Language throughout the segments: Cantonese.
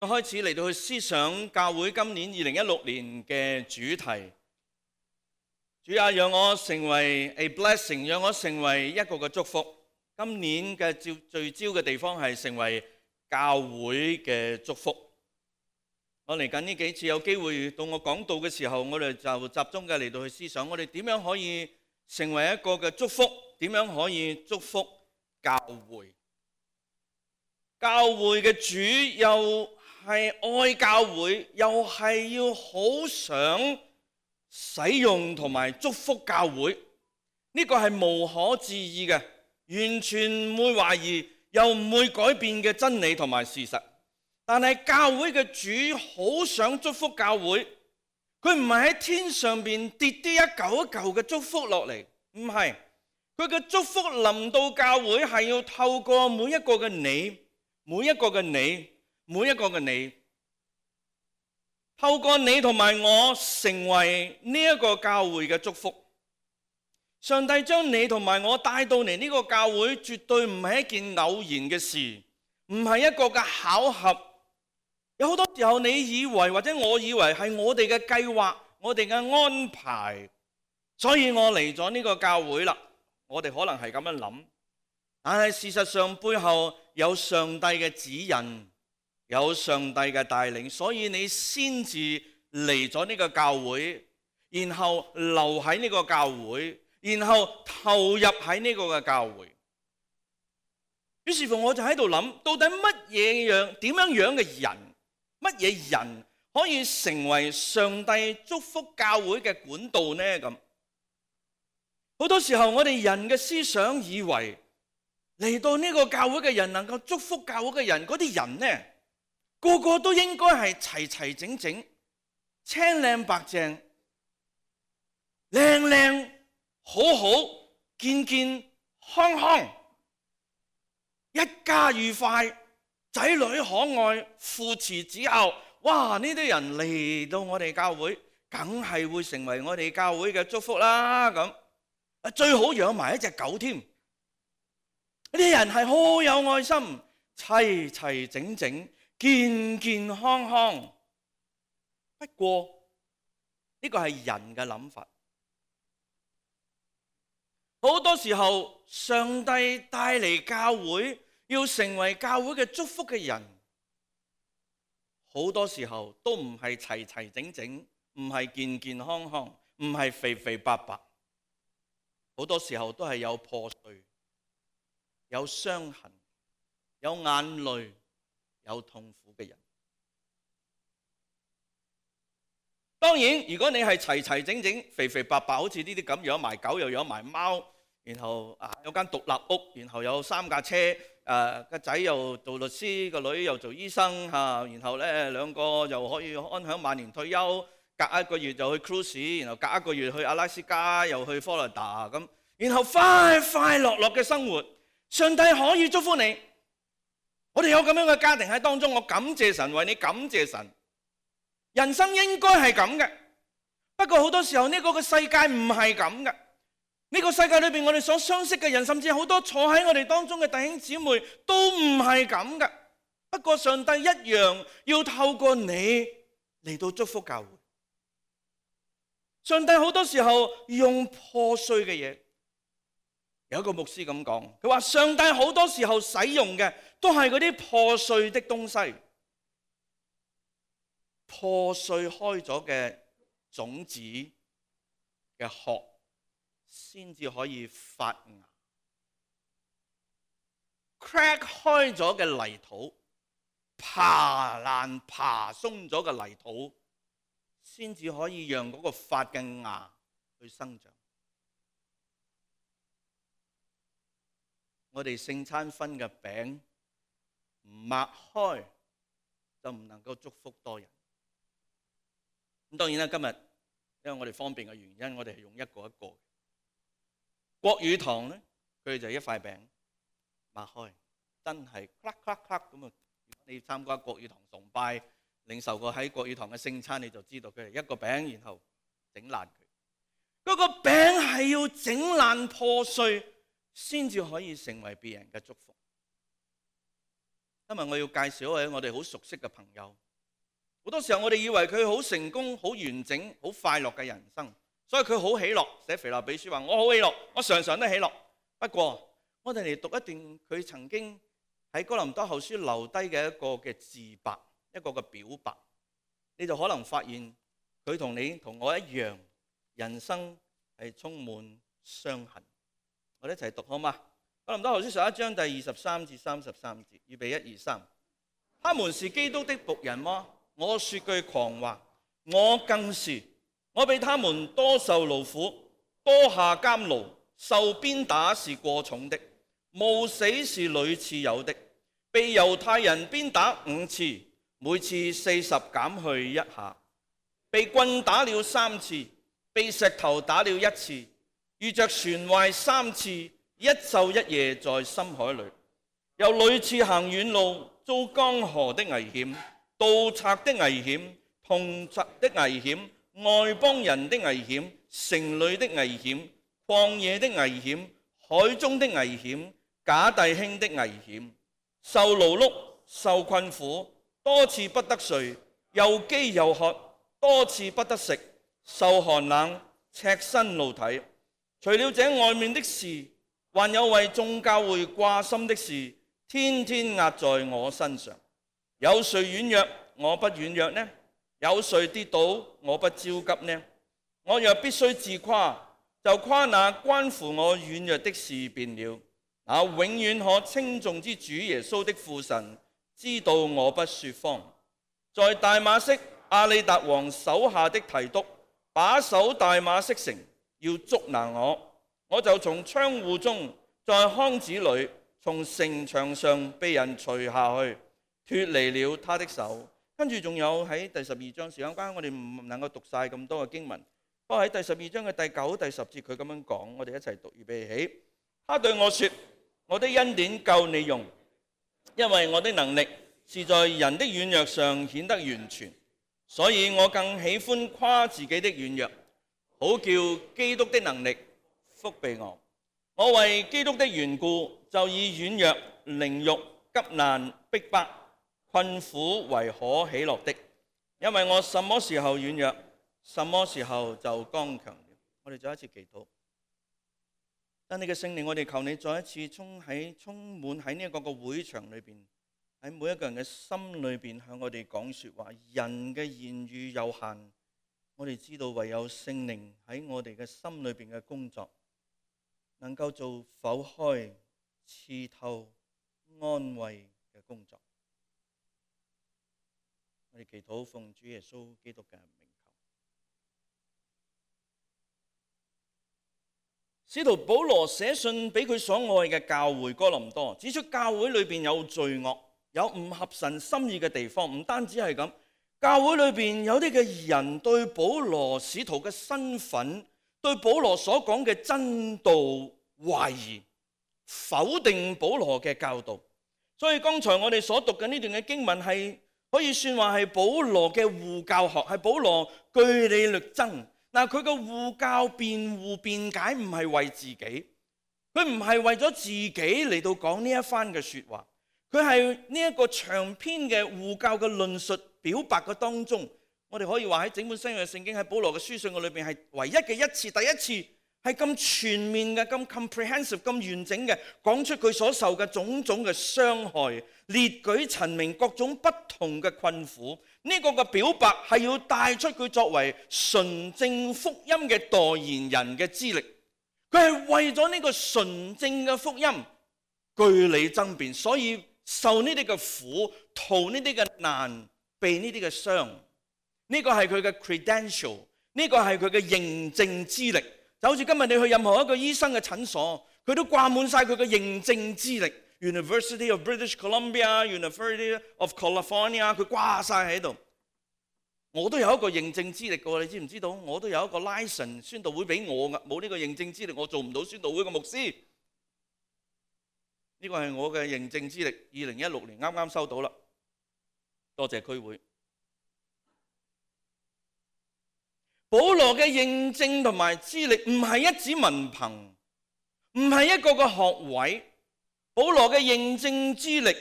開始嚟到去思想教會今年2016年嘅主題。主啊，讓我成為 a blessing， 讓我成為一個嘅祝福。今年嘅聚焦嘅地方係成為教會嘅祝福。我嚟緊呢幾次有機會到我講道嘅時候，我哋就集中嘅嚟到去思想，我哋點樣可以成為一個嘅祝福，點樣可以祝福教會。教會嘅主又係愛教會，又係要好想使用同埋祝福教會，呢個係無可置疑嘅，完全唔會懷疑，又唔會改變嘅真理同埋事實。但係教會嘅主好想祝福教會，佢唔係喺天上邊跌啲一嚿一嚿嘅祝福落嚟，唔係，佢嘅祝福臨到教會係要透過每一個嘅你，每一個嘅你，每一個嘅你，透過你同埋我成為呢一個教會嘅祝福。上帝將你同埋我帶到嚟呢個教會，絕對唔係一件偶然嘅事，唔係一個嘅巧合。有好多時候你以為或者我以為係我哋嘅計劃，我哋嘅安排，所以我嚟咗呢個教會啦。我哋可能係咁樣諗，但係事實上背後有上帝嘅指引，有上帝嘅帶領，所以你先至嚟咗呢個教會，然後留喺呢個教會，然後投入喺呢個嘅教會。於是乎我就喺度諗，到底點樣樣嘅人，乜嘢人可以成為上帝祝福教會嘅管道呢？咁好多時候我哋人嘅思想以為嚟到呢個教會嘅人，能夠祝福教會嘅人，嗰啲人呢，個個都應該係齊齊整整、青靚白淨、靚靚好好、健健康康，一家愉快，仔女可愛，父慈子孝。哇！呢啲人嚟到我哋教會，梗係會成為我哋教會嘅祝福啦。咁最好養埋一隻狗添。呢啲人係好有愛心，齊齊整整、健健康康。不過呢個係人嘅諗法。好多時候，上帝帶嚟教會，要成為教會嘅祝福嘅人，好多時候都唔係齊齊整整，唔係健健康康，唔係肥肥白白，好多時候都係有破碎、有傷痕、有眼淚、有痛苦嘅人。當然，如果你係齊齊整整、肥肥白白，好似呢啲咁，養埋狗又養埋貓，然後有間獨立屋，然後有3架車，個仔又做律師，個女又做醫生，然後咧2個又可以安享晚年退休，隔1個月就去 cruise， 然後隔1個月去阿拉斯加，又去佛羅里達咁，然後快快樂樂嘅生活。上帝可以祝福你，我哋有咁樣嘅家庭喺當中，我感謝神，為你感謝神。人生應該係咁嘅，不過好多時候呢個嘅世界唔係咁嘅。呢個世界裏邊，我哋所相識嘅人，甚至好多坐喺我哋當中嘅弟兄姊妹，都唔係咁嘅。不過上帝一樣要透過你嚟到祝福教會。上帝好多時候用破碎嘅嘢，有一個牧師咁講，佢話上帝好多時候使用嘅都係嗰啲破碎的東西。破碎開咗嘅種子嘅殼，先至可以發芽。crack 開咗嘅泥土，爬爛爬鬆咗嘅泥土，先至可以讓嗰個發嘅芽去生長。我哋聖餐分嘅餅唔擘開，就唔能夠祝福多人。咁當然啦，今日因為我哋方便嘅原因，我哋係用一個一個。國語堂咧，佢哋就一塊餅擘開，真係咔咔咔咁啊！如果你參加國語堂崇拜，領受過喺國語堂嘅聖餐，你就知道佢係一個餅，然後整爛佢。嗰個餅係要整爛破碎，先至可以成為別人嘅祝福。今日我要介紹一位我哋好熟悉嘅朋友。好多時候我哋以為佢好成功、好完整、好快樂嘅人生，所以佢好喜樂。寫腓立比書話：我好喜樂，我常常都喜樂。不過我哋嚟讀一段佢曾經喺哥林多後書留低嘅一個嘅自白，一個嘅表白，你就可能發現佢同你同我一樣，人生係充滿傷痕。我哋一齊讀好嗎？哥林多後書11章第23至33節，預備1、2、3。他們是基督的僕人嗎？我說句狂話，我更是。我比他們多受勞苦，多下監牢，受鞭打是過重的，冒死是屢次有的。被猶太人鞭打5次，每次40減去1下。被棍打了3次，被石頭打了1次，遇着船壞3次，一晝一夜在深海裏，又屢次行遠路，遭江河的危險、盜賊的危險、同賊的危險、外邦人的危險、城裏的危險、曠野的危險、海中的危險、假弟兄的危險，受勞碌、受困苦，多次不得睡，又飢又渴，多次不得食，受寒冷，赤身露體。除了這外面的事，還有為眾教會掛心的事，天天壓在我身上。有誰軟弱，我不軟弱呢？有誰跌倒，我不焦急呢？我若必須自誇，就誇那關乎我軟弱的事便了。那永遠可稱頌之主耶穌的父神，知道我不說謊。在大馬色亞里達王手下的提督把守大馬色城，要捉拿我就從窗戶中，在筐子裏，從城牆上被人除下去，脫離了他的手。跟住仲有喺第12章，時間關係我哋唔能夠讀晒咁多嘅經文。不過喺第12章嘅第9、第10節，佢咁樣講，我哋一齊讀，預備起。他對我說：我的恩典夠你用，因為我的能力是在人的軟弱上顯得完全，所以我更喜歡誇自己的軟弱，好叫基督的能力覆庇我。我為基督的緣故，就以軟弱、凌辱、急難、逼迫、困苦為可喜樂的，因為我什麼時候軟弱，什麼時候就剛強了。我哋再一次祈禱，但你嘅聖靈，我哋求你再一次充滿喺呢一個個會場裏邊，喺每一個人嘅心裏邊向我哋講說話。人嘅言語有限，我哋知道唯有聖靈喺我哋嘅心裏邊嘅工作，能夠做剖開、刺透、安慰嘅工作。我哋祈禱奉主耶穌基督嘅名求。使徒保羅寫信俾佢所愛嘅教會哥林多，指出教會裏邊有罪惡，有唔合神心意嘅地方。唔單止係咁，教會裏邊有啲嘅人對保羅使徒嘅身份，對保羅所講嘅真道懷疑，否定保羅嘅教導。所以剛才我哋所讀嘅呢段嘅經文係可以算話係保羅嘅護教學，係保羅據理力爭。嗱，佢嘅護教辯護辯解唔係為自己，佢唔係為咗自己嚟到講呢一番嘅說話，佢係呢一個長篇嘅護教嘅論述表白嘅當中，我哋可以話喺整本新約聖經喺保羅嘅書信嘅裏邊係唯一嘅一次，第一次係咁全面嘅、咁 comprehensive、咁完整嘅講出佢所受嘅種種嘅傷害，列舉陳明各種不同嘅困苦。呢個嘅表白係要帶出佢作為純正福音嘅代言人嘅資歷，佢係為咗呢個純正嘅福音據理爭辯，所以受呢啲嘅苦，逃呢啲嘅難，避呢啲嘅傷。呢個係佢嘅 credential， 呢個係佢嘅認證資歷。就好似今日你去任何一個醫生嘅診所，佢都掛滿晒佢嘅認證資歷。University of British Columbia、University of California， 佢掛晒喺度。我都有一個認證資歷嘅，你知唔知道？我都有一個 license， 宣道會俾我噶，冇呢個認證資歷，我做唔到宣道會嘅牧師。呢個係我嘅認證資歷，2016年啱啱收到啦，多謝區會。保羅嘅認證同埋資歷唔係一紙文憑，唔係一個個學位。保羅嘅認證資歷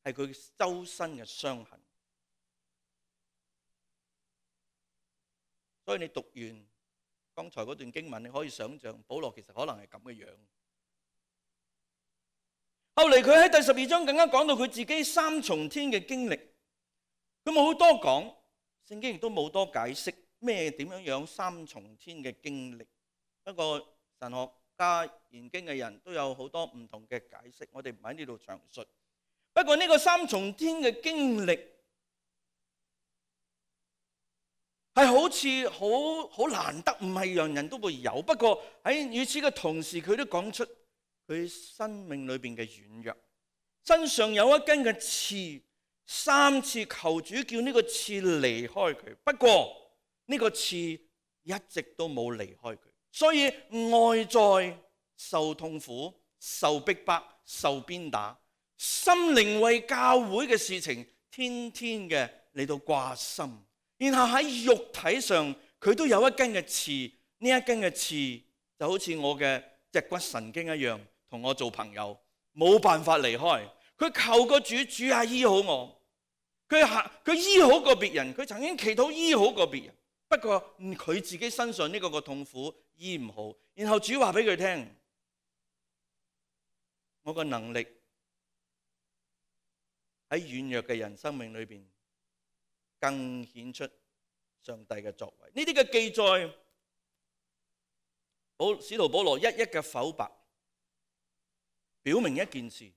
係佢周身嘅傷痕。所以你讀完剛才嗰段經文，你可以想象保羅其實可能係咁嘅樣。後嚟佢喺第12章更加講到佢自己三重天嘅經歷，佢冇好多講，聖經亦都冇多解釋咩點樣三重天嘅經歷。不過神學家研經嘅人都有好多唔同嘅解釋，我哋唔喺呢度詳述。不過呢個三重天嘅經歷係好似好難得，唔係人人都會有。不過喺與此嘅同時，佢都講出佢生命裏邊嘅軟弱，身上有一根嘅刺，3次求主叫呢個刺離開佢。不過呢個刺一直都冇離開佢，所以外在受痛苦、受逼迫、受鞭打，心靈為教會嘅事情天天嘅嚟到掛心。然後喺肉體上佢都有一根嘅刺，呢一根嘅刺就好似我嘅脊骨神經一樣，同我做朋友，冇辦法離開。佢求個主，主啊醫好我。佢醫好過別人，佢曾經祈禱醫好過別人，不過佢自己身上呢個痛苦醫唔好。然後主話俾佢聽，我個能力喺軟弱嘅人生命裏邊更顯出上帝嘅作為。呢啲嘅記載，使徒保羅一一嘅剖白，表明一件事：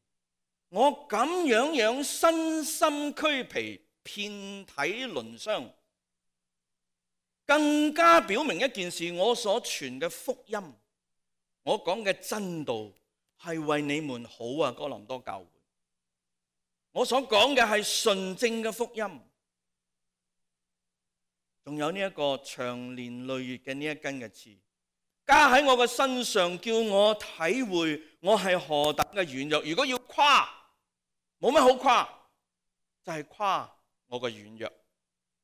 我咁樣身心俱疲、遍體鱗傷，更加表明一件事：我所傳嘅福音，我講嘅真道係為你們好啊！哥林多教會，我所講嘅係純正嘅福音。仲有呢一個長年累月嘅呢一根嘅刺，加喺我嘅身上，叫我體會我係何等嘅軟弱。如果要誇，冇乜好誇，就係誇我嘅軟弱，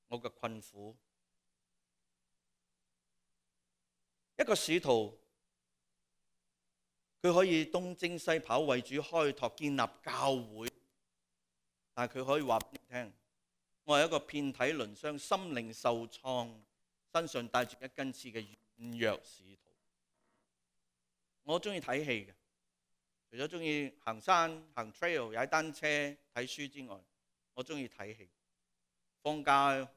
我嘅困苦。一個使徒，佢可以東征西跑為主開拓建立教會，但係佢可以話俾你聽，我係一個遍體鱗傷、心靈受創、身上帶住一根刺嘅軟弱使徒。我中意睇戲嘅，除咗中意行山、行 trail、踩單車、睇書之外，我中意睇戲。放假，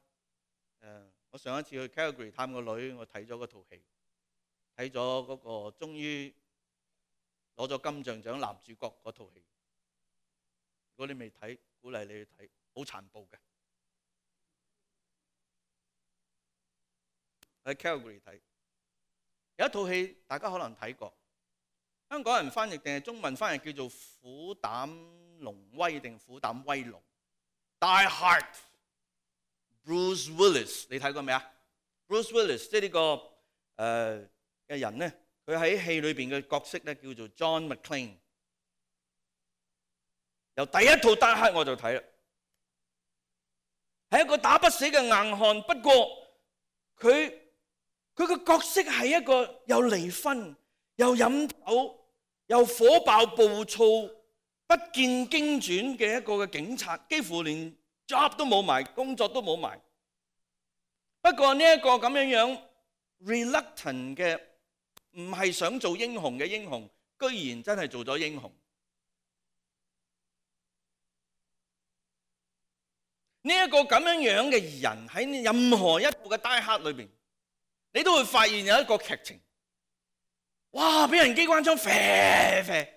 我上一次去 Calgary 探個女，我睇咗嗰套戲，睇咗嗰個終於攞咗金像獎男主角嗰套戲。如果你未睇，鼓勵你去睇，好殘暴嘅。喺 Calgary 睇，有一套戲大家可能睇過，香港人翻譯定係中文翻譯叫做《虎膽龍威》定《虎膽威龍》。Die Hard，Bruce Willis， 你睇過未啊 ？Bruce Willis 即係呢個嘅人咧，佢喺戲裏邊嘅角色咧叫做 John McClane。由第一套 Die Hard 我就睇啦，係一個打不死嘅硬漢。不過佢個角色係一個又離婚、又飲酒、又火爆暴躁、不見經傳嘅一個嘅警察，幾乎連 job 都冇埋，工作都冇埋。不過呢一個咁樣 reluctant 嘅，唔係想做英雄嘅英雄，居然真係做咗英雄。呢一個咁樣嘅人喺任何一部嘅 Die Hard 裏邊，你都會發現有一個劇情，哇！俾人機關槍射射，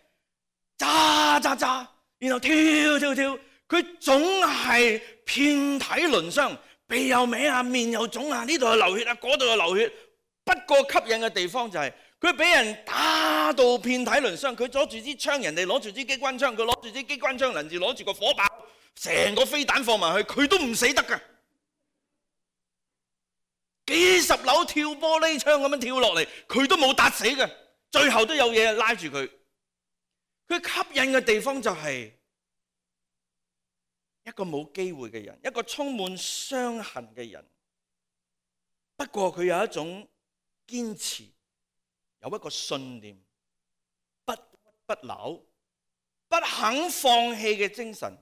炸炸炸，然後跳跳跳，佢總係遍體鱗傷，鼻又歪啊，面又腫啊，呢度又流血啊，嗰度又流血。不過吸引嘅地方就係佢俾人打到遍體鱗傷，佢攞住支槍，人哋攞住支機關槍，佢攞住支機關槍，人哋攞住個火炮，成個飛彈放埋去，佢都唔死得㗎。幾十樓跳玻璃窗咁樣跳落嚟，佢都冇打死嘅，最後都有嘢拉住佢。佢吸引嘅地方就係一個冇機會嘅人，一個充滿傷痕嘅人。不過佢有一種堅持，有一個信念，不屈不撓，不肯放棄嘅精神。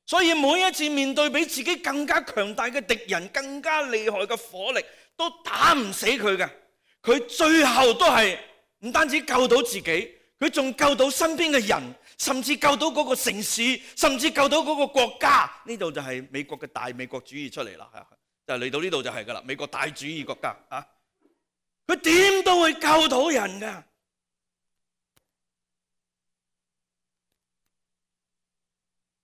所以每一次面對比自己更加強大嘅敵人、更加厲害嘅火力，都打唔死佢嘅。佢最後都係唔單止救到自己，佢仲救到身邊嘅人，甚至救到嗰個城市，甚至救到嗰個國家。呢度就係美國嘅大美國主義出嚟啦，就嚟到呢度就係噶啦，美國大主義國家啊！佢點都會救到人噶。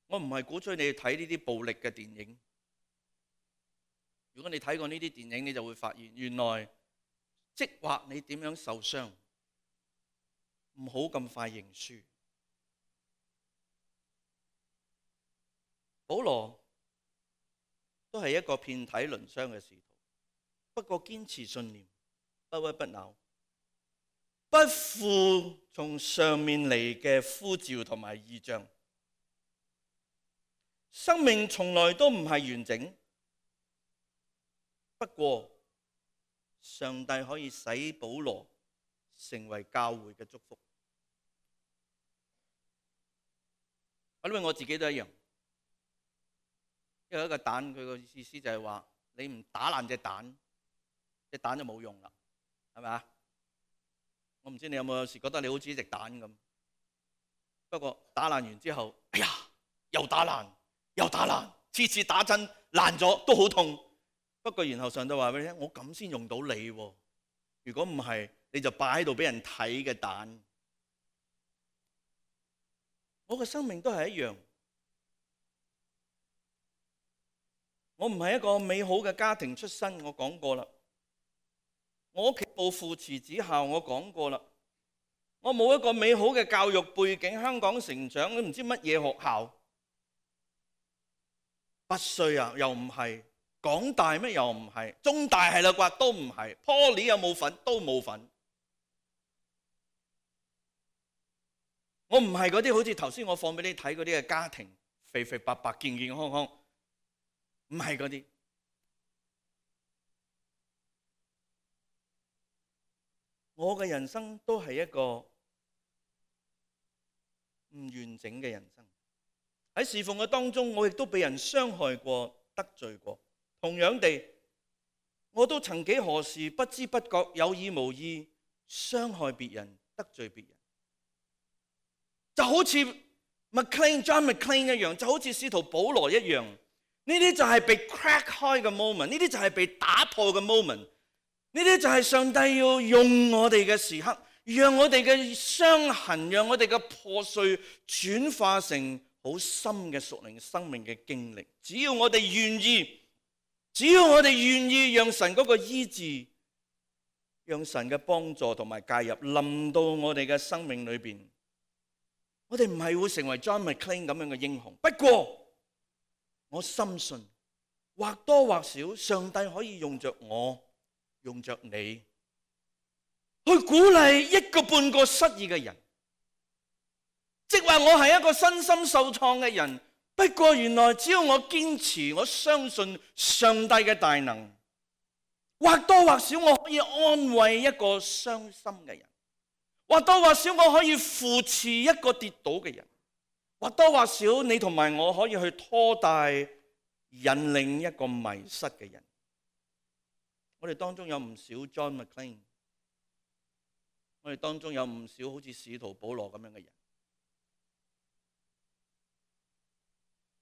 我唔係鼓吹你睇呢啲暴力嘅電影。如果你睇過呢啲電影，你就會發現原來即或你點樣受傷，唔好咁快認輸。保羅都係一個遍體鱗傷嘅使徒，不過堅持信念，不屈不撓，不負從上面嚟嘅呼召同埋異象。生命從來都唔係完整，不過上帝可以使保羅成為教會嘅祝福。因為我自己都一樣，因為一個蛋，佢個意思就係話你唔打爛隻蛋，隻蛋就冇用啦，係咪啊？我唔知你有冇時覺得你好似一隻蛋咁，不過打爛完之後，哎呀，又打爛。又打爛，次次打針爛咗都好痛。不過然後上帝話俾你聽，我咁先用到你喎。如果唔係，你就擺喺度俾人睇嘅蛋。我嘅生命都係一樣。我唔係一個美好嘅家庭出身，我講過啦。我屋企冇父慈子孝，我講過啦。我冇一個美好嘅教育背景，香港成長都唔知乜嘢學校。拔萃啊，又唔係；港大咩又唔係；中大係啦啩，都唔係。Poly 有冇份？都冇份。我唔係嗰啲好似頭先我放俾你睇嗰啲嘅家庭，肥肥白白、健健康康，唔係嗰啲。我嘅人生都係一個唔完整嘅人生。喺侍奉嘅當中，我亦都被人傷害過、得罪過。同樣地，我都曾幾何時不知不覺、有意無意傷害別人、得罪別人。就好似 John McClane 一樣，就好似使徒保羅一樣。呢啲就係被 crack 開嘅 moment， 呢啲就係被打破嘅 moment， 呢啲就係上帝要用我哋嘅時刻，讓我哋嘅傷痕、讓我哋嘅破碎轉化成好深嘅屬靈生命嘅經歷。只要我哋願意，只要我哋願意讓神嗰個醫治，讓神嘅幫助同埋介入臨到我哋嘅生命裏邊，我哋唔係會成為 John McClane 咁樣嘅英雄。不過我深信或多或少上帝可以用着我，用着你去鼓勵一個半個失意嘅人。即係話我係一個身心受創嘅人，不過原來只要我堅持，我相信上帝嘅大能，或多或少我可以安慰一個傷心嘅人，或多或少我可以扶持一個跌倒嘅人，或多或少你同埋我可以去拖帶引領一個迷失嘅人。我哋當中有唔少 John McClane， 我哋當中有唔少好似使徒保羅咁樣嘅人。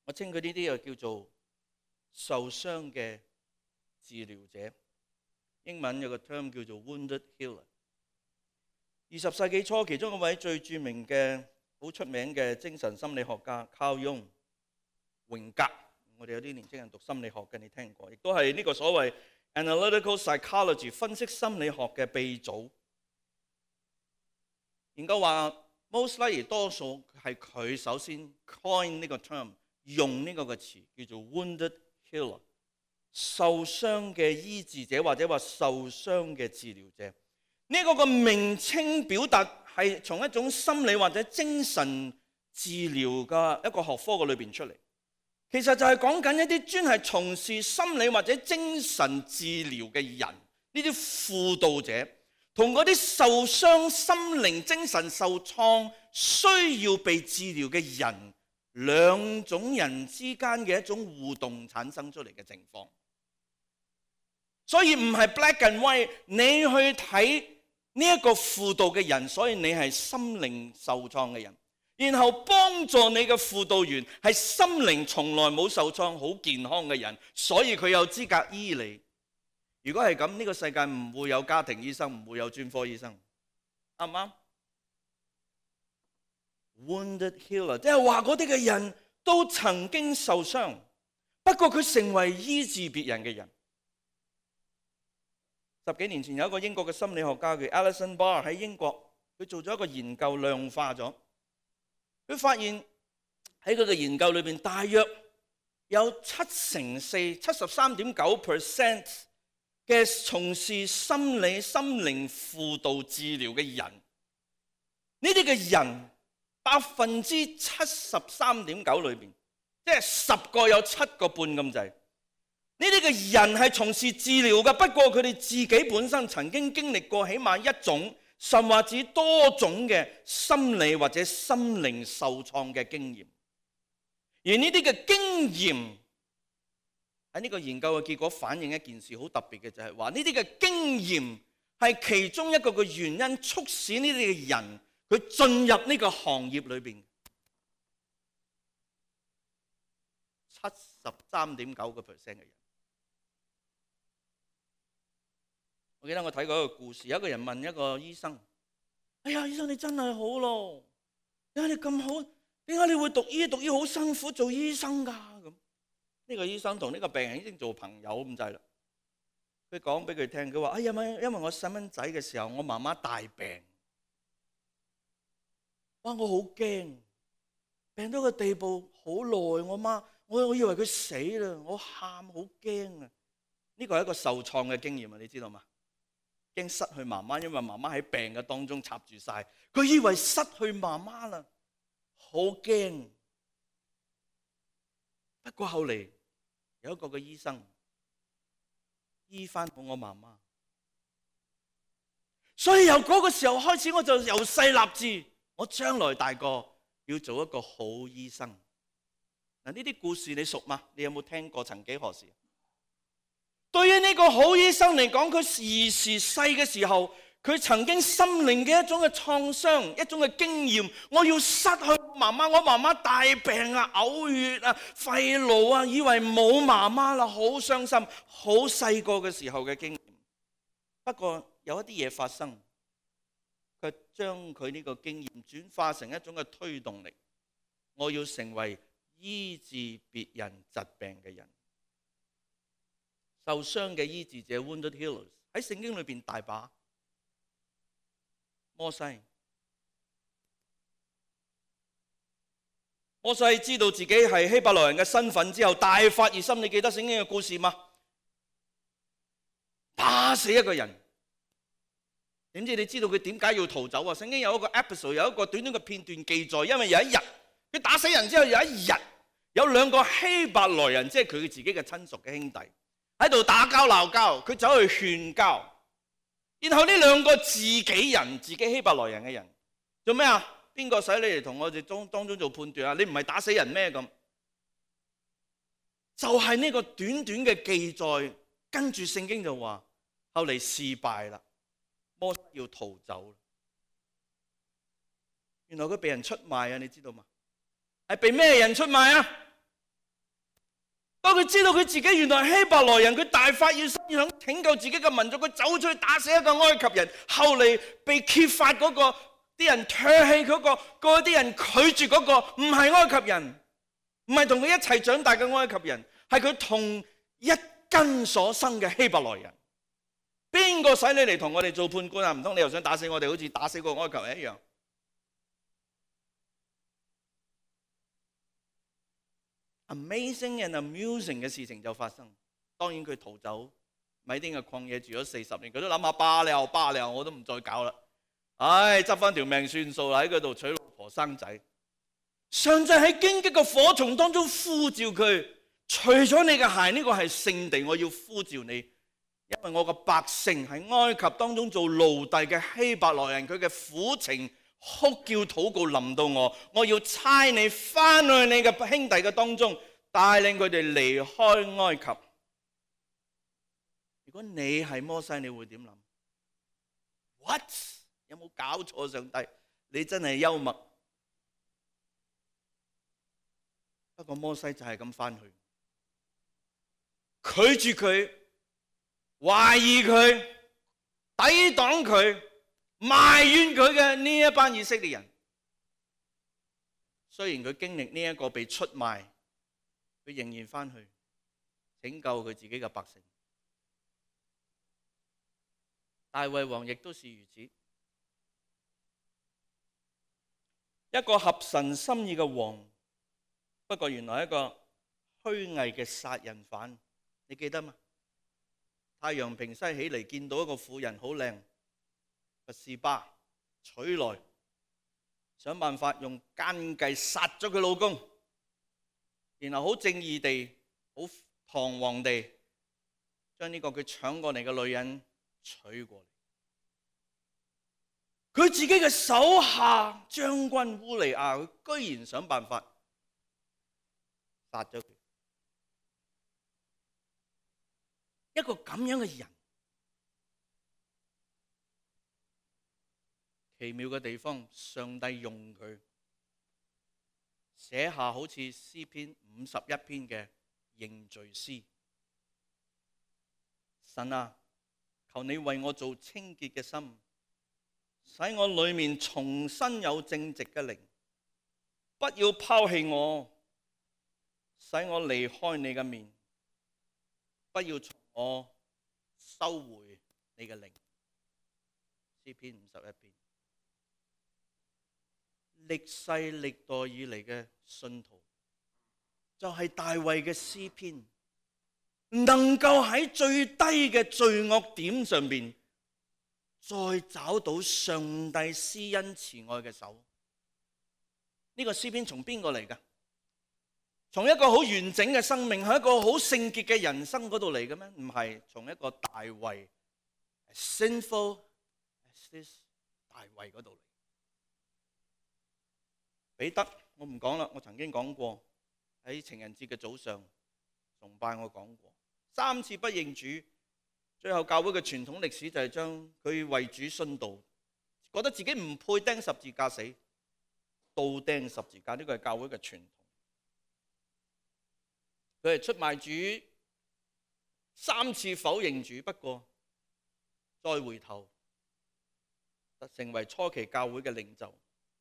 我稱佢呢啲又叫做受傷嘅治療者，英文有個 term 叫做 wounded healer。20世紀初，其中一位最著名嘅、好出名嘅精神心理學家Carl Jung，榮格，我哋有啲年輕人讀心理學嘅，你聽過，亦都係呢個所謂 analytical psychology 分析心理學嘅鼻祖。研究話 most likely 多數係佢首先 coin 呢個 term，用呢個詞叫做 wounded healer， 受傷嘅醫治者或者話受傷嘅治療者。呢個名稱表達係從一種心理或者精神治療嘅一個學科嘅裏邊出嚟。其實就係講緊一啲專係從事心理或者精神治療嘅人，呢啲輔導者同嗰啲受傷心靈精神受創需要被治療嘅人兩種人之間嘅一種互動產生出嚟嘅情況。所以唔係 black and white， 你去睇呢一個輔導嘅人，所以你係心靈受創嘅人，然後幫助你嘅輔導員係心靈從來冇受創、好健康嘅人，所以佢有資格醫你。如果係咁，呢個世界唔會有家庭醫生，唔會有專科醫生，啱唔啱？Wounded healer， 即係話嗰啲嘅人都曾經受傷，不過佢成為醫治別人嘅人。10幾年前有一個英國嘅心理學家叫 Alison Barr 喺英國，佢做咗一個研究，量化咗，佢發現喺佢嘅研究裏邊，大約有73.9% 嘅從事心理心靈輔導治療嘅人，呢啲嘅人73.9%裏邊，即係10個有7個半咁滯。呢啲嘅人係從事治療嘅，不過佢哋自己本身曾經經歷過起碼一種，甚或至多種嘅心理或者心靈受創嘅經驗。而呢啲嘅經驗喺呢個研究嘅結果反映一件事好特別嘅，就係話呢啲嘅經驗係其中一個嘅原因，促使呢啲嘅人佢進入呢個行業裏邊。73.9% 嘅人。我記得我睇過一個故事，有一個人問一個醫生：哎呀，醫生你真係好咯，點解你咁好？點解你會讀醫好辛苦做醫生㗎？咁呢個醫生同呢個病人已經做朋友咁滯啦。佢講俾佢聽，佢話：哎呀，因為我細蚊仔嘅時候，我媽媽大病，哇，我好驚，病到個地步好耐，我以為佢死啦，我喊好驚啊！呢個係一個受創嘅經驗啊，你知道嗎？驚失去媽媽，因為媽媽喺病嘅當中插住晒，佢以為失去媽媽啦，好驚。不過後嚟有一個嘅醫生醫翻好我媽媽，所以由嗰個時候開始，我就由細立志，我將來大個要做一個好醫生。嗱，呢啲故事你熟嗎？你有冇聽過？曾幾何時？對於呢個好醫生嚟講，佢兒時細嘅時候，佢曾經心靈嘅一種嘅創傷，一種嘅經驗。我要失去媽媽，我媽媽大病啊，嘔血啊，肺癆啊，以為冇媽媽啦，好傷心，好細個嘅時候嘅經驗。不過有一啲嘢發生，佢將佢呢個經驗轉化成一種嘅推動力。我要成為醫治別人疾病嘅人。受傷嘅醫治者 Wounded Healers 喺聖經裏邊大把。摩西知道自己係希伯來人嘅身份之後，大發熱心。你記得聖經嘅故事嗎？打死一個人，點知你知道佢點解要逃走啊？聖經有一個 episode， 有一個短短嘅片段記載，因為有一日佢打死人之後，有一日有兩個希伯來人，即係佢自己嘅親屬嘅兄弟，喺度打交鬧交，佢走去勸交，然後呢兩個自己希伯來人嘅人做咩啊？邊個使你嚟同我哋當中做判斷啊？你唔係打死人咩？咁就係呢個短短嘅記載，跟住聖經就話後嚟事敗啦，摩西要逃走。原來佢被人出賣啊！你知道嗎？係被咩人出賣啊？當佢知道佢自己原來係希伯來人，佢大發熱心想拯救自己嘅民族，佢走出去打死一個埃及人。後嚟被揭發嗰個啲人唾棄嗰啲人拒絕嗰個唔係埃及人，唔係同佢一齊長大嘅埃及人，係佢同一根所生嘅希伯來人。邊個使你嚟同我哋做判官啊？唔通你又想打死我哋，好似打死個埃及人一樣？Amazing and amusing 嘅事情就發生。當然佢逃走，米甸嘅曠野住咗40年，佢都諗下罷了，我都唔再搞啦。唉，執翻條命算數啦，喺嗰度娶老婆生仔。上帝喺荊棘嘅火叢當中呼召佢，除咗你嘅鞋，呢個係聖地，我要呼召你，因為我嘅百姓喺埃及當中做奴隸嘅希伯來人，佢嘅苦情哭叫禱告臨到我，我要差你翻去你嘅兄弟嘅當中，帶領佢哋離開埃及。如果你係摩西，你會點諗？ What？ 有冇搞錯？上帝，你真係幽默。不過摩西就係咁翻去，拒絕佢，懷疑佢，抵擋佢，埋怨佢嘅呢一班以色列人。雖然佢經歷呢一個被出賣，佢仍然翻去拯救佢自己嘅百姓。大衛王亦都是如此，一個合神心意嘅王，不過原來一個虛偽嘅殺人犯。你記得嗎？太陽平西起嚟，見到一個婦人好靚，拔示巴娶來，想辦法用奸計殺咗佢老公，然後好正義地、好堂皇地將呢個佢搶過嚟嘅女人娶過嚟。佢自己嘅手下將軍烏利亞，佢居然想辦法殺咗佢。一個咁樣嘅人，奇妙嘅地方，上帝用佢寫下好似詩篇51篇嘅認罪詩。神啊，求你為我做清潔嘅心，使我裏面重新有正直嘅靈，不要拋棄我，使我離開你嘅面，不要從我收回你嘅靈。詩篇51篇，歷世歷代以嚟嘅信徒，就係大衛嘅詩篇，能夠喺最低嘅罪惡點上邊，再找到上帝施恩慈愛嘅手。呢個詩篇從邊個嚟㗎？從一個好完整嘅生命，係一個好聖潔嘅人生嗰度嚟嘅咩？唔係，從一個大衛 sinful as this 大衛嗰度嚟。彼得我唔講啦，我曾經講過喺情人節嘅早上崇拜，我講過3次不認主，最後教會嘅傳統歷史就係將佢為主殉道，覺得自己唔配釘十字架死，倒釘十字架。呢個係教會嘅傳統。佢係出賣主，3次否認主，不過再回頭成為初期教會嘅領袖，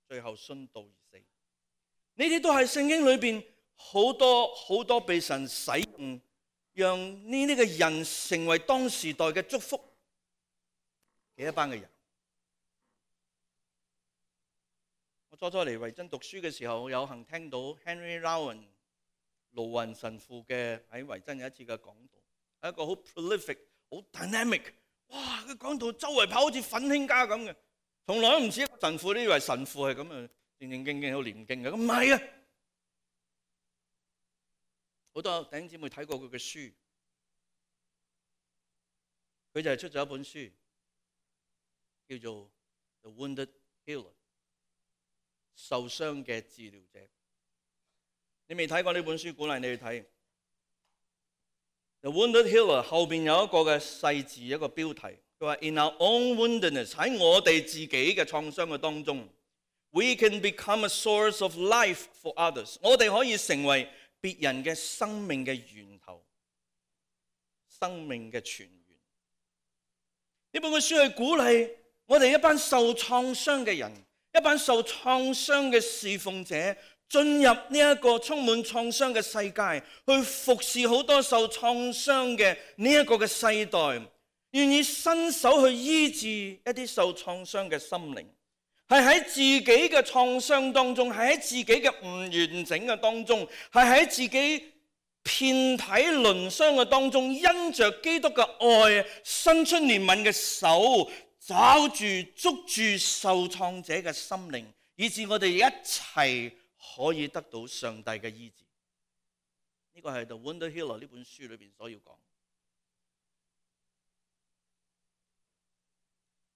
最後殉道而死。呢啲都係聖經裏邊好多被神使用，讓呢啲嘅人成為當時代嘅祝福嘅一班嘅人。我初初嚟維珍讀書嘅時候，有幸聽到 Henry Rowan 盧雲神父嘅喺維珍有一次嘅講道，係一個好 prolific、好 dynamic。哇！佢講到周圍跑好似奮興家咁嘅，從來都唔似一個神父。你以為神父係咁啊，正正經經好念經嘅，咁唔係啊！好多弟兄姊妹睇過佢嘅書，佢就係出咗一本書，叫做 The Wounded Healer， 受傷嘅治療者。你未睇過呢本書，鼓勵你去睇。The Wounded Healer 後邊有一個嘅細字，一個標題，佢話 In our own woundedness， 喺我哋自己嘅創傷嘅當中 ，we can become a source of life for others。我哋可以成為別人嘅生命嘅源頭，生命嘅泉源。呢本嘅書係鼓勵我哋一班受創傷嘅人，一班受創傷嘅侍奉者，進入呢一個充滿創傷嘅世界，去服侍好多受創傷嘅呢一個嘅世代，願意伸手去醫治一啲受創傷嘅心靈，係喺自己嘅創傷當中，係喺自己嘅唔完整嘅當中，係喺自己遍體鱗傷嘅當中，因着基督嘅愛，伸出憐憫嘅手，抓住捉住受創者嘅心靈，以致我哋一齊可以得到上帝嘅醫治。呢個係 The Wounded Healer 呢本書裏邊所要講。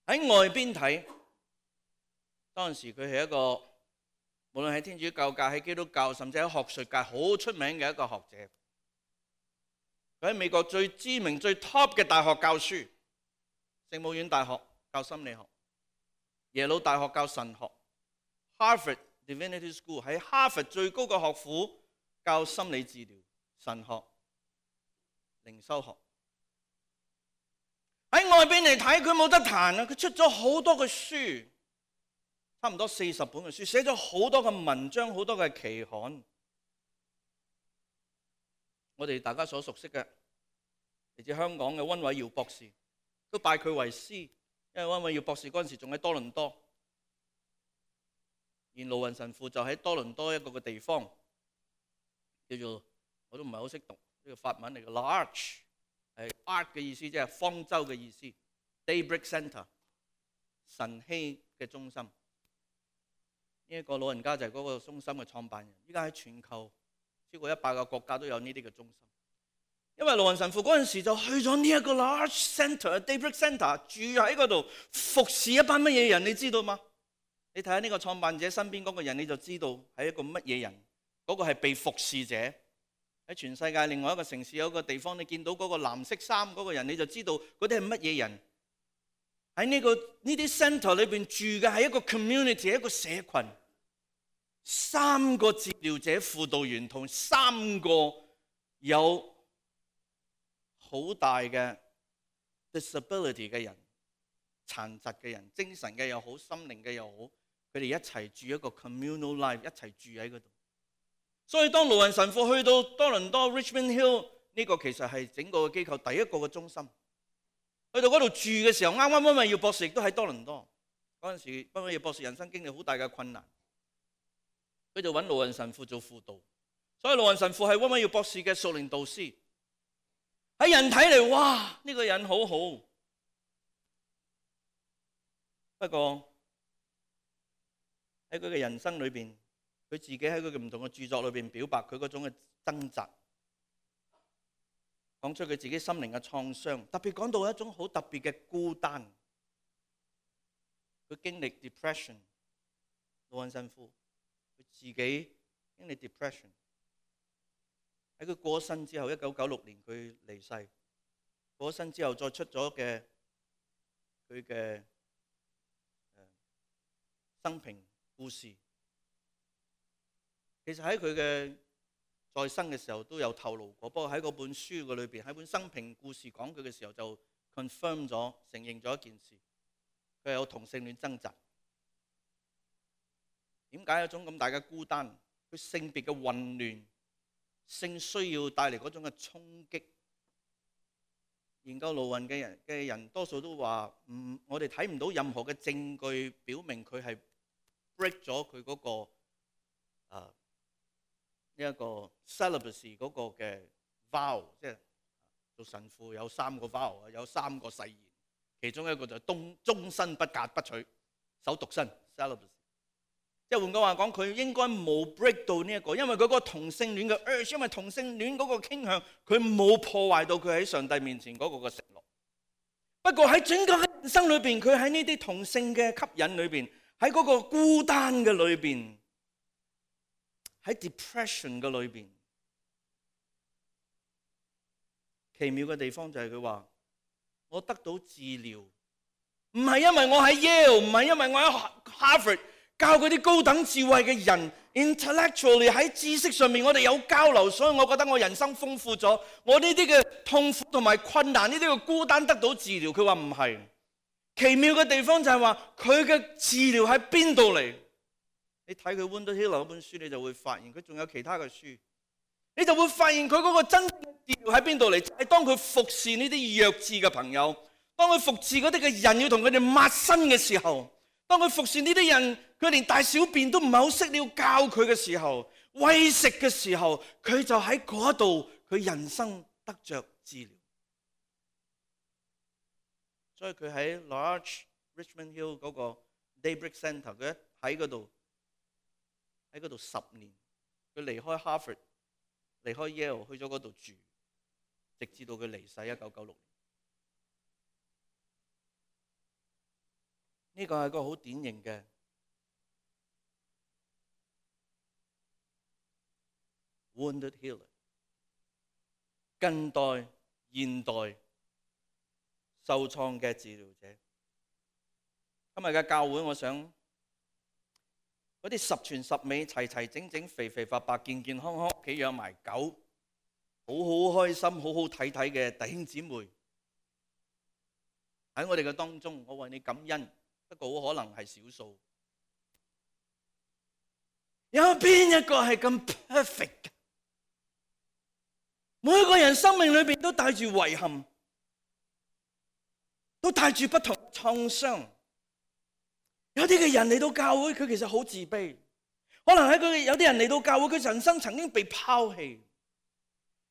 喺外邊睇，當時佢係一個無論喺天主教界、喺基督教，甚至喺學術界好出名嘅一個學者。佢喺美國最知名、最 top 嘅大學教書，聖母院大學教心理學，耶魯大學教神學， Harvard Divinity School 喺哈佛最高嘅學府教心理治療、神學、靈修學。喺外邊嚟睇，佢冇得彈啊！佢出咗好多嘅書，差唔多40本嘅書，寫咗好多嘅文章，好多嘅期刊。我哋大家所熟悉嘅嚟自香港嘅溫偉耀博士，都拜佢為師，因為溫偉耀博士嗰陣時仲喺多倫多，而盧雲神父就喺多倫多一個嘅地方，叫做我都唔係好識讀呢個法文嚟嘅 ，L'Arche 係 Arc 嘅意思，即係方舟嘅意思 ，Daybreak Centre 晨曦嘅中心。呢一個老人家就係嗰個中心嘅創辦人，依家喺全球超過100個國家都有呢啲嘅中心。因為盧雲神父嗰陣時就去咗呢一個 Large Centre、Daybreak Centre 住喺嗰度服侍一班乜嘢人，你知道嗎？你睇下呢個創辦者身邊嗰個人，你就知道係一個乜嘢人。嗰個係被服侍者。喺全世界另外一個城市有一個地方，你見到嗰個藍色衫嗰個人，你就知道嗰啲係乜嘢人。喺呢啲 centre 裏邊住嘅係一個 community， 一個社群。3個治療者、輔導員同3個有好大嘅 disability 嘅人、殘疾嘅人、精神嘅又好、心靈嘅又好，佢哋一齊住一個 communal life， 一齊住喺嗰度。所以當盧雲神父去到多倫多 Richmond Hill 呢個其實係整個機構第一個嘅中心，去到嗰度住嘅時候，啱啱溫偉耀博士亦都喺多倫多。嗰陣時溫偉耀博士人生經歷好大嘅困難，佢就揾盧雲神父做輔導。所以盧雲神父係溫偉耀博士嘅屬靈導師。喺人睇嚟，哇！呢個人好好。不過喺佢嘅人生裏邊，佢自己喺佢嘅唔同嘅著作裏邊表白佢嗰種嘅掙扎，講出佢自己心靈嘅創傷，特別講到一種好特別嘅孤單。佢經歷 depression， 盧雲神父佢自己經歷 depression。喺佢過身之後，1996年佢離世。過身之後再出咗嘅佢嘅生平故事，其實喺佢嘅在生嘅時候都有透露過。不過喺嗰本書嘅裏邊，喺本生平故事講佢嘅時候就 confirm 咗，承認咗一件事，佢係有同性戀掙扎。點解有種咁大嘅孤單？佢性別嘅混亂。性需要帶嚟嗰種嘅衝擊。研究盧雲嘅人多數都話，我哋睇唔到任何嘅證據表明佢係 break 咗佢嗰個呢一個 celibacy 嗰個嘅 vow， 即係做神父有3個 vow， 有3個誓言，其中一個就係終身不嫁不娶，守獨身 celibacy。即係換句話講，佢應該冇 break 到呢一個，因為佢嗰個同性戀嘅 urge， 因為同性戀嗰個傾向，佢冇破壞到佢喺上帝面前嗰個嘅承諾。不過喺整個人生裏邊，佢喺呢啲同性嘅吸引裏邊，喺嗰個孤單嘅裏邊，喺 depression 嘅裏邊，奇妙嘅地方就係佢話：我得到治療，唔係因為我喺 Yale， 唔係因為我喺 Harvard。教嗰啲高等智慧嘅人 ，intellectually 喺知識上面我哋有交流，所以我覺得我人生豐富咗。我呢啲嘅痛苦同埋困難，呢啲嘅孤單得到治療。佢話唔係，奇妙嘅地方就係話佢嘅治療喺邊度嚟？你睇佢 Wonder Hill 嗰本書，你就會發現佢仲有其他嘅書，你就會發現佢嗰個真正嘅治療喺邊度嚟？就係當佢服侍呢啲弱智嘅朋友，當佢服侍嗰啲嘅人要同佢哋抹身嘅時候。當佢服侍呢啲人，佢連大小便都唔係好識，你要教佢嘅時候，餵食嘅時候，佢就喺嗰度，佢人生得着治療。所以佢喺 Large Richmond Hill 嗰個 Daybreak Centre， 佢喺嗰度10年。佢離開 Harvard， 離開 Yale， 去咗嗰度住，直至到佢離世1996年。呢個係一個好典型嘅 wounded healer， 近代、現代受創嘅治療者。今日嘅教會，我想嗰啲十全十美、齊齊整整、肥肥白白、健健康康，屋企養埋狗，好好開心、好好睇睇嘅弟兄姊妹喺我哋嘅當中，我為你感恩。不過好可能係少數。有邊一個係咁 perfect 嘅？每個人生命裏邊都帶住遺憾，都帶住不同嘅創傷。有啲嘅人嚟到教會，佢其實好自卑。可能有啲人嚟到教會，佢人生曾經被拋棄。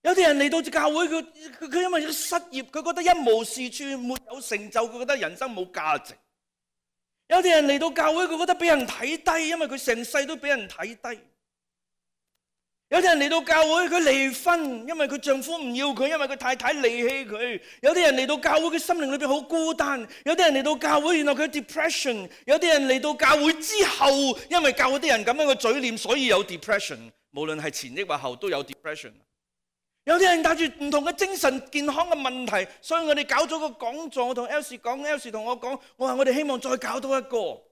有啲人嚟到教會，佢因為失業，佢覺得一無是處，沒有成就，佢覺得人生冇價值。有啲人嚟到教會，佢覺得俾人睇低，因為佢成世都俾人睇低。有啲人嚟到教會，佢離婚，因為佢丈夫唔要佢，因為佢太太離棄佢。有啲人嚟到教會，佢心靈裏邊好孤單。有啲人嚟到教會，原來佢 depression。有啲人嚟到教會之後，因為教會啲人咁樣嘅嘴臉，所以有 depression。無論係前抑或後，都有 depression。有啲人帶住唔同嘅精神健康嘅問題，所以我哋搞咗個講座，我同 Elsie 講 ，Elsie 同我講，我話我哋希望再搞多一個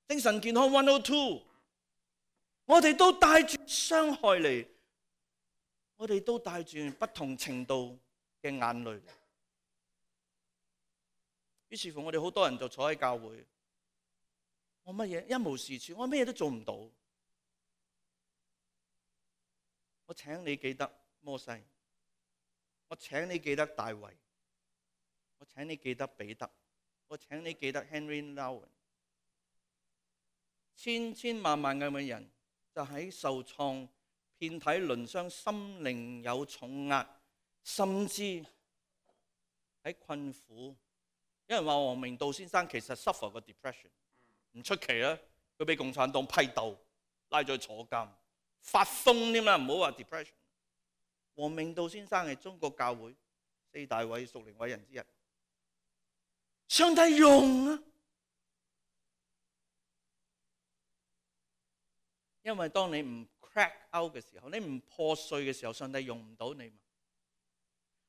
精神健康102。我哋都帶住傷害嚟，我哋都帶住不同程度嘅眼淚。於是乎，我哋好多人就坐喺教會，我乜嘢一無是處，我乜嘢都做唔到。我請你記得摩西，我請你記得大衛，我請你記得彼得，我請你記得 Henry Nouwen， 千千萬萬咁嘅人。就喺受創、遍體鱗傷、心靈有重壓，甚至喺困苦。有人話王明道先生其實 suffer 個 depression， 唔出奇啦。佢俾共產黨批鬥，拉咗去坐監，發瘋添啦，唔好話 depression。王明道先生係中國教會4大屬靈偉人之一，上帝用啊！因為當你唔 crack out 嘅時候，你唔破碎嘅時候，上帝用唔到你嘛。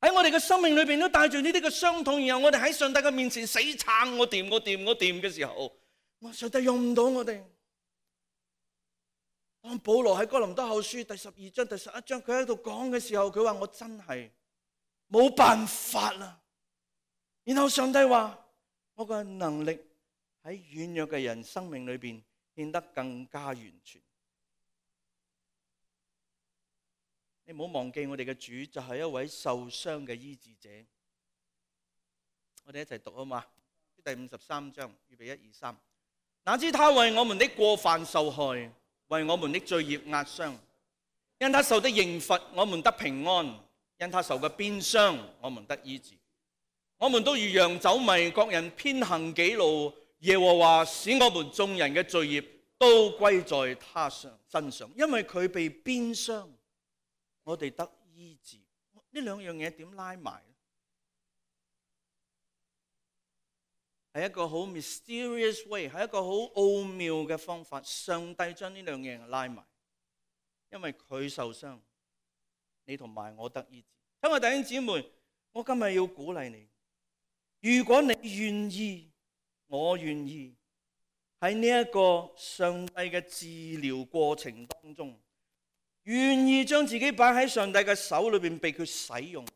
喺我哋嘅生命裏邊都帶住呢啲嘅傷痛，然後我哋喺上帝嘅面前死撐，我掂嘅時候，上帝用唔到我哋。當保羅喺哥林多後書第12章第11章佢喺度講嘅時候，佢話我真係冇辦法啦。然後上帝話我嘅能力喺軟弱嘅人生命裏邊變得更加完全。你唔好忘記我哋嘅主就係一位受傷嘅醫治者。我哋一齊讀好嘛？第53章，預備1、2、3。哪知他為我們的過犯受害，為我們的罪孽壓傷。因他受的刑罰，我們得平安；因他受嘅鞭傷，我們得醫治。我們都如羊走迷，各人偏行己路。耶和華使我們眾人嘅罪孽都歸在他身上，因為佢被鞭傷，我哋得醫治。呢兩樣嘢點拉埋？係一個好 mysterious way， 係一個好奧妙嘅方法。上帝將呢兩樣嘢拉埋，因為佢受傷，你同埋我得醫治。親愛弟兄姊妹，我今日要鼓勵你，如果你願意，我願意喺呢一個上帝嘅治療過程當中，願意將自己擺喺上帝嘅手裏邊，被佢使用，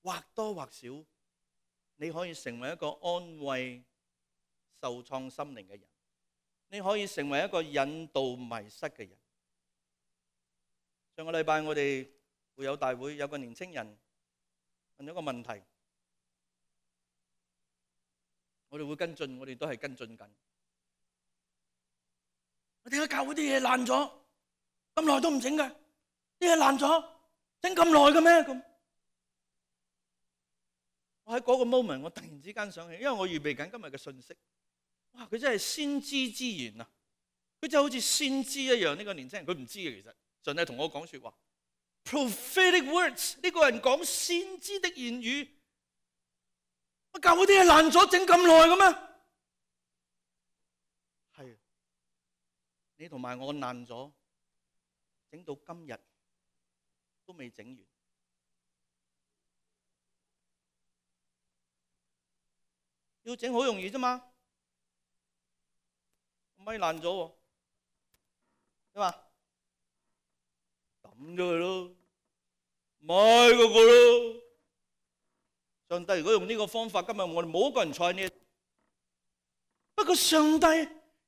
或多或少，你可以成為一個安慰受創心靈嘅人，你可以成為一個引導迷失嘅人。上個禮拜我哋會友大會有個年青人問咗個問題，我哋會跟進，我哋都係跟進緊。我點解教會啲嘢爛咗咁耐都唔整嘅？啲嘢爛咗整咁耐嘅咩？咁我喺嗰個 moment， 我突然之間想起，因為我預備緊今日嘅信息。哇！佢真係先知之言啊！佢就好似先知一樣。呢個年輕人佢唔知嘅，其實上帝同我講說話 ，prophetic words。呢個人講先知的言語。我教會啲嘢爛咗整咁耐嘅咩？係你同埋我爛咗。整到今日都未整完。要整好容易啫嘛，咪爛咗喎，係嘛？抌咗佢咯，買嗰個咯。上帝如果用呢個方法，今日我哋冇一個人坐喺呢。不過上帝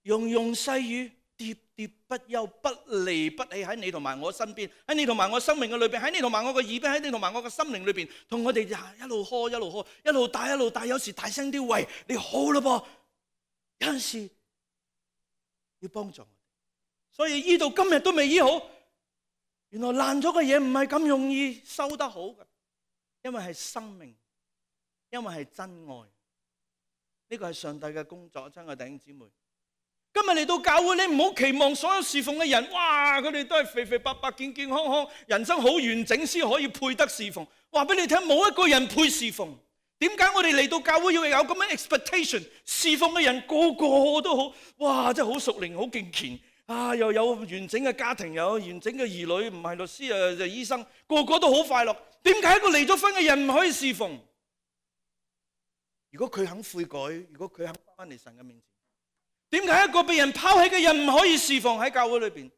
用細語，喋喋不休，不離不棄喺你同埋我身邊，喺你同埋我生命嘅裏邊，喺你同埋我嘅耳邊，喺你同埋我嘅心靈裏邊，同我哋一路呵一路呵，一路帶一路帶，有時大聲啲，喂，你好啦噃，有陣時要幫助我哋，所以醫到今日都未醫好，原來爛咗嘅嘢唔係咁容易修得好嘅，因為係生命，因為係真愛，呢個係上帝嘅工作，親愛弟兄姊妹。今日嚟到教會，你唔好期望所有侍奉嘅人，哇！佢哋都係肥肥白白、健健康康，人生好完整先可以配得侍奉。話俾你聽，冇一個人配侍奉。點解我哋嚟到教會要有咁樣 expectation？ 侍奉嘅人個個都好，哇！真係好屬靈、好敬虔啊！又有完整嘅家庭，又有完整嘅兒女，唔係律師啊就醫生，個個都好快樂。點解一個離咗婚嘅人唔可以侍奉？如果佢肯悔改，如果佢肯翻嚟神嘅面前。點解一個被人拋棄嘅人唔可以侍奉喺教會裏邊？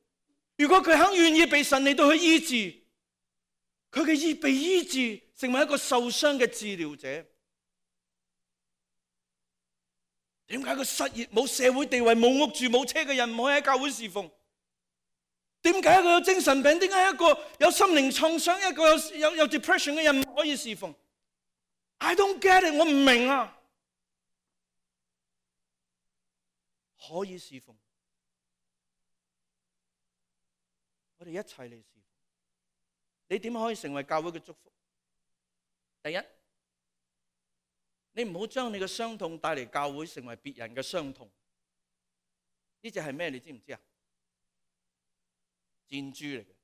如果佢肯願意被神嚟到去醫治，佢嘅被醫治，成為一個受傷嘅治療者。點解一個失業、冇社會地位、冇屋住、冇車嘅人唔可以喺教會侍奉？點解一個有精神病、點解一個有心靈創傷、一個有 depression 嘅人唔可以侍奉？ I don't get it， 我唔明啊！可以侍奉，我哋一齊嚟侍奉。你點可以成為教會嘅祝福？第一，你唔好將你嘅傷痛帶嚟教會，成為別人嘅傷痛。呢隻係咩？你知唔知啊？箭豬嚟嘅，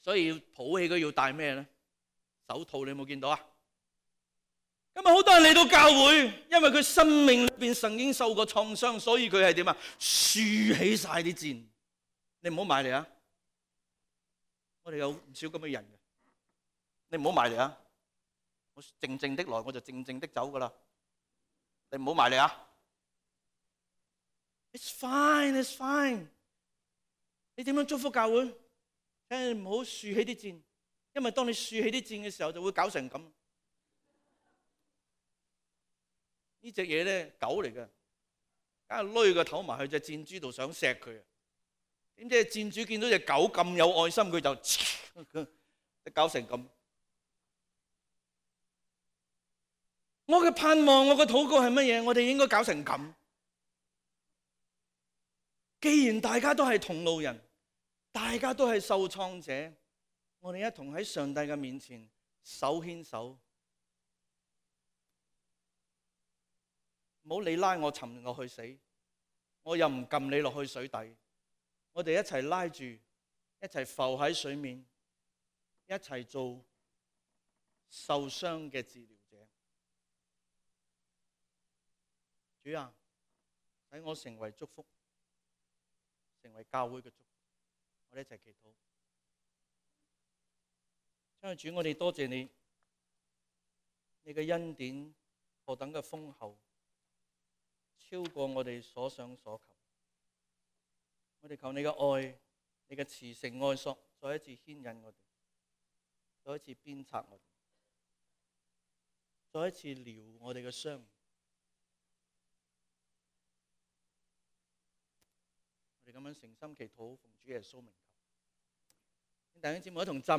所以要抱起佢要戴咩咧？手套，你有冇見到啊？今日好多人嚟到教會，因為佢生命裏邊曾經受過創傷，所以佢係點啊？豎起晒啲箭。你唔好埋嚟啊！我哋有唔少咁嘅人嘅，你唔好埋嚟啊！我靜靜的來，我就靜靜的走噶啦。你唔好埋嚟啊 ！It's fine, it's fine。你點樣祝福教會？請你唔好豎起啲箭，因為當你豎起啲箭嘅時候，就會搞成咁。呢隻嘢咧，狗嚟嘅，梗係攏個頭埋去隻箭豬度想錫佢啊！點知箭豬見到隻狗咁有愛心，佢就搞成咁。我嘅盼望，我嘅禱告係乜嘢？我哋應該搞成咁。既然大家都係同路人，大家都係受創者，我哋一同喺上帝嘅面前手牽手。唔好你拉我沉落去死，我又唔撳你落去水底。我哋一齊拉住，一齊浮喺水面，一齊做受傷嘅治療者。主啊，使我成為祝福，成為教會嘅祝福。我哋一齊祈禱。親愛的主，我哋多謝你，你嘅恩典何等嘅豐厚，超過我哋所想所求。我哋求你嘅愛，你嘅慈繩愛索，再一次牽引我哋，再一次鞭策我哋，再一次療我哋嘅傷。我哋咁樣誠心祈禱，奉主耶穌名求。弟兄姊妹一同站。